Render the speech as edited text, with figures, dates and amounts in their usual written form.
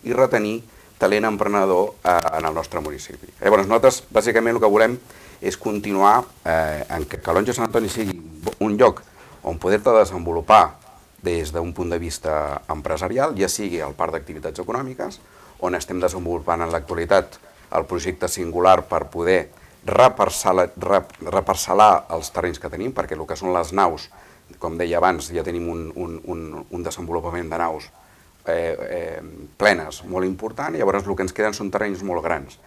i retenir talent emprenedor en el nostre municipi. Llavors, nosaltres, bàsicament, el que volem és continuar en que Calonge Sant Antoni sigui un lloc on poder-te desenvolupar des d'un punt de vista empresarial, ja sigui el parc d'activitats econòmiques, on estem desenvolupant en l'actualitat el projecte singular per poder reparcel·lar els terrenys que tenim, perquè el que són les naus, com deia abans, ja tenim un desenvolupament de naus plenes molt important, i llavors el que ens queden són terrenys molt grans.